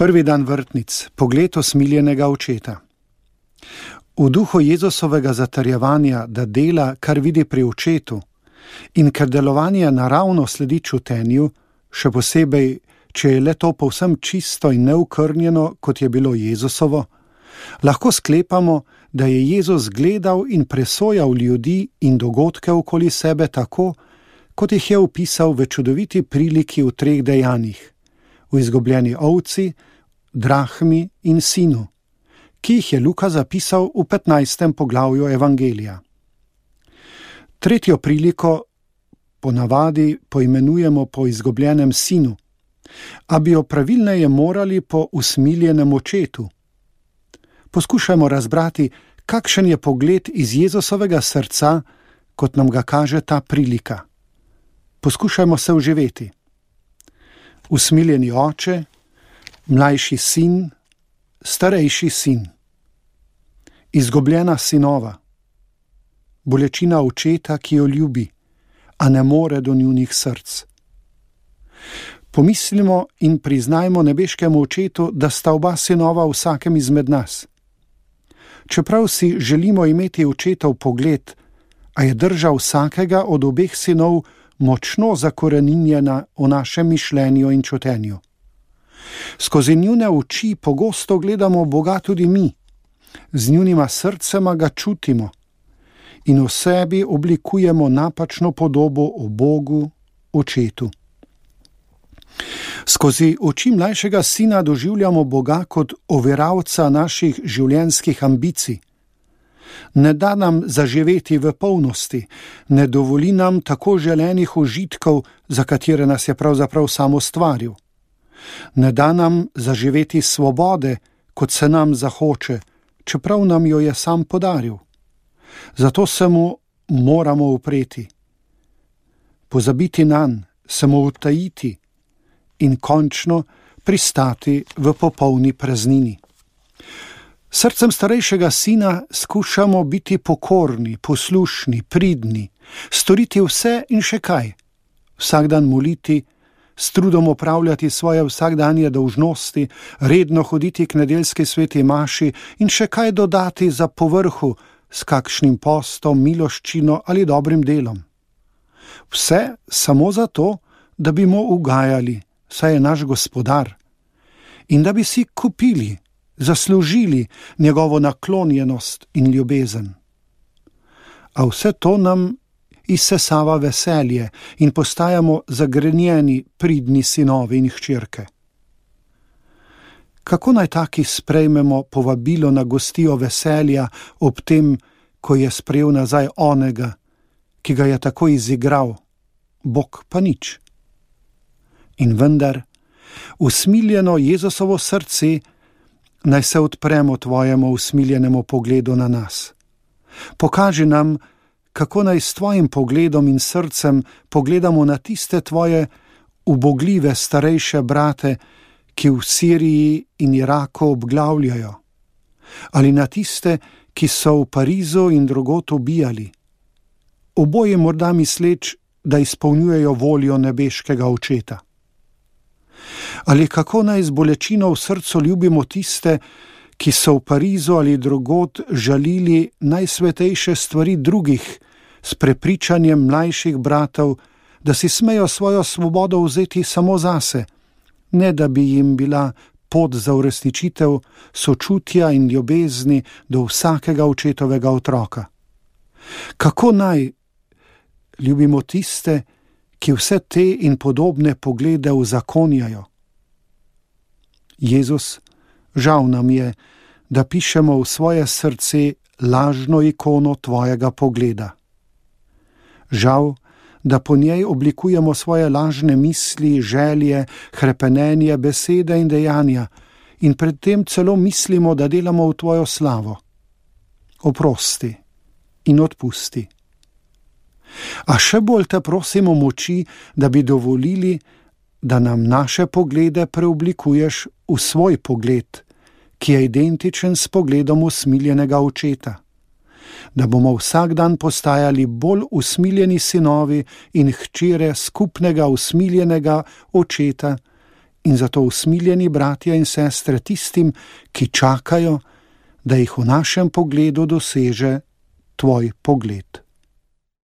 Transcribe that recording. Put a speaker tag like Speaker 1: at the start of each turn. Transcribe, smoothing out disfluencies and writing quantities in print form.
Speaker 1: Prvi dan vrtnic, pogled usmiljenega očeta. V duhu Jezusovega zatrjevanja, da dela, kar vidi pri očetu, in ker delovanje naravno sledi čutenju, še posebej, če je le to povsem čisto in neokrnjeno, kot je bilo Jezusovo, lahko sklepamo, da je Jezus gledal in presojal ljudi in dogodke okoli sebe tako, kot jih je opisal v čudoviti priliki v 3 dejanjih, v izgubljeni ovci, drahmi in sinu, ki jih je Luka zapisal v 15. poglavju Evangelija. 3. priliko ponavadi poimenujemo po izgubljenem sinu, a bi jo pravilneje morali po usmiljenem očetu. Poskušajmo razbrati, kakšen je pogled iz Jezusovega srca, kot nam ga kaže ta prilika. Poskušajmo se vživeti. Usmiljeni oče, mlajši sin, starejši sin. Izgubljena sinova. Bolečina očeta, ki jo ljubi, a ne more do njunih src. Pomislimo in priznajmo nebeškemu očetu, da sta oba sinova vsakem izmed nas. Čeprav si želimo imeti očetov pogled, a je drža vsakega od obeh sinov močno zakoreninjena v našem mišljenju in čutenju. Skozi njune oči pogosto gledamo Boga tudi mi, z njunima srcema ga čutimo in v sebi oblikujemo napačno podobo o Bogu, očetu. Skozi oči mlajšega sina doživljamo Boga kot overavca naših življenjskih ambicij. Ne da nam zaživeti v polnosti, ne dovoli nam tako želenih užitkov, za katere nas je pravzaprav sam ustvaril. Ne da nam zaživeti svobode, kot se nam zahoče, čeprav nam jo je sam podaril. Zato se mu moramo upreti, pozabiti nanj, se mu utajiti in končno pristati v popolni praznini. Srcem starejšega sina skušamo biti pokorni, poslušni, pridni, storiti vse in še kaj, vsak dan moliti, s trudom opravljati svoje vsakdanje dolžnosti, redno hoditi k nedeljski sveti maši in še kaj dodati za povrhu s kakšnim postom, miloščino ali dobrim delom. Vse samo zato, da bi mu ugajali, saj je naš gospodar, in da bi si kupili, zaslužili njegovo naklonjenost in ljubezen. A vse to nam izsesava veselje in postajamo zagrenjeni, pridni sinovi in hčerke. Kako naj taki sprejmemo povabilo na gostijo veselja ob tem, ko je sprejel nazaj onega, ki ga je tako izigral, Bog pa nič? In vendar, usmiljeno Jezusovo srce, naj se odpremo tvojemu usmiljenemu pogledu na nas. Pokaži nam, kako naj s tvojim pogledom in srcem pogledamo na tiste tvoje ubogljive starejše brate, ki v Siriji in Iraku obglavljajo, ali na tiste, ki so v Parizu in drugod ubijali, oboje morda misleč, da izpolnjujejo voljo nebeškega očeta. Ali kako naj z bolečino v srcu ljubimo tiste, ki so v Parizu ali drugod žalili najsvetejše stvari drugih s prepričanjem mlajših bratov, da si smejo svojo svobodo vzeti samo zase, ne da bi jim bila pot za uresničitev sočutja in ljubezni do vsakega očetovega otroka. Kako naj ljubimo tiste, ki vse te in podobne poglede uzakonjajo? Jezus, žal nam je, da pišemo v svoje srce lažno ikono tvojega pogleda. Žal, da po njej oblikujemo svoje lažne misli, želje, hrepenenje, besede in dejanja in predtem celo mislimo, da delamo v tvojo slavo. Oprosti in odpusti. A še bolj te prosimo moči, da bi dovolili, da nam naše poglede preoblikuješ v svoj pogled, ki je identičen s pogledom usmiljenega očeta. Da bomo vsak dan postajali bolj usmiljeni sinovi in hčere skupnega usmiljenega očeta in zato usmiljeni bratje in sestre tistim, ki čakajo, da jih v našem pogledu doseže tvoj pogled.